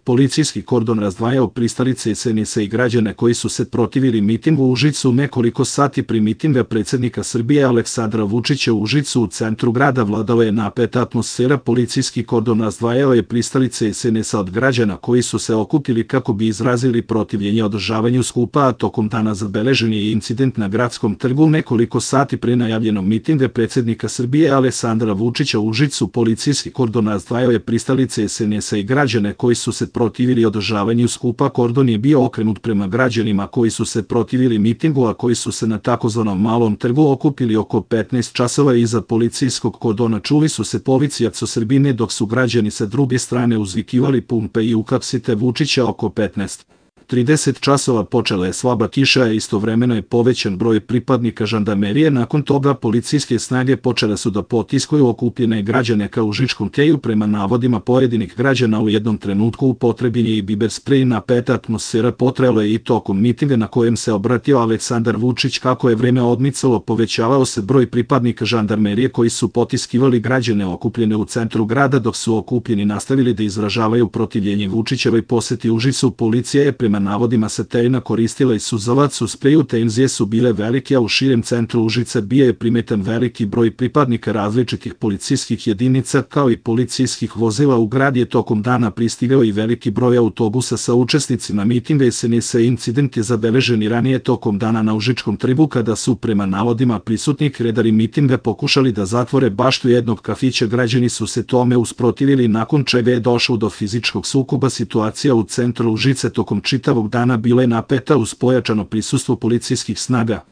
Policijski kordon razdvajao pristalice SNS i građane koji su se protivili mitingu u Užicu nekoliko sati pri mitinga predsjednika Srbije Aleksandra Vučića u Užicu u centru grada vladala je napeta atmosfera. Policijski kordon razdvajao je pristalice SNS-a od građana koji su se okupili kako bi izrazili protivljenje održavanju skupa, a tokom dana zabeležen je incident na Gradskom trgu nekoliko sati pre najavljenog mitinga predsjednika Srbije Aleksandra Vučića u Užicu. Policijski kordon razdvajao je pristalice SNS-a i građane koji su se protivili održavanju skupa. Kordon je bio okrenut prema građanima koji su se protivili mitingu, a koji su se na takozvanom Malom trgu okupili oko 15 časova. Iza policijskog kordona čuli su se povici "Aco Srbine", dok su građani sa druge strane uzvikivali "Pumpe i uhapsite Vučića". Oko 15:30 časova počela je slaba kiša, a istovremeno je povećan broj pripadnika žandarmerije. Nakon toga policijske snage počele su da potiskuju okupljene građane ka Užičkom keju. Prema navodima pojedinih građana u jednom trenutku upotrebljen je i biber sprej. Napeta atmosfera potrajala je i tokom mitinga na kojem se obratio Aleksandar Vučić. Kako je vreme odmicalo, povećavao se broj pripadnika žandarmerije koji su potiskivali građane okupljene u centru grada, dok su okupljeni nastavili da izražavaju protivljenje Vučićevoj poseti Užicu. Policija je prema navodima Satejna koristila i suzavac u spreju. Tenzije su bile velike, a u širem centru Užica bio je primetan veliki broj pripadnika različitih policijskih jedinica kao i policijskih vozila. U grad je tokom dana pristigao i veliki broj autobusa sa učesnicima mitinga SNS-a. Incident je zabeležen i ranije tokom dana na Užičkom trgu, kada su prema navodima prisutni redari mitinga pokušali da zatvore baštu jednog kafića. Građani su se tome usprotivili, nakon čega je došlo do fizičkog sukoba. Situacija u centru Užica tokom čitavog dana bila je napeta uz pojačano prisustvo policijskih snaga.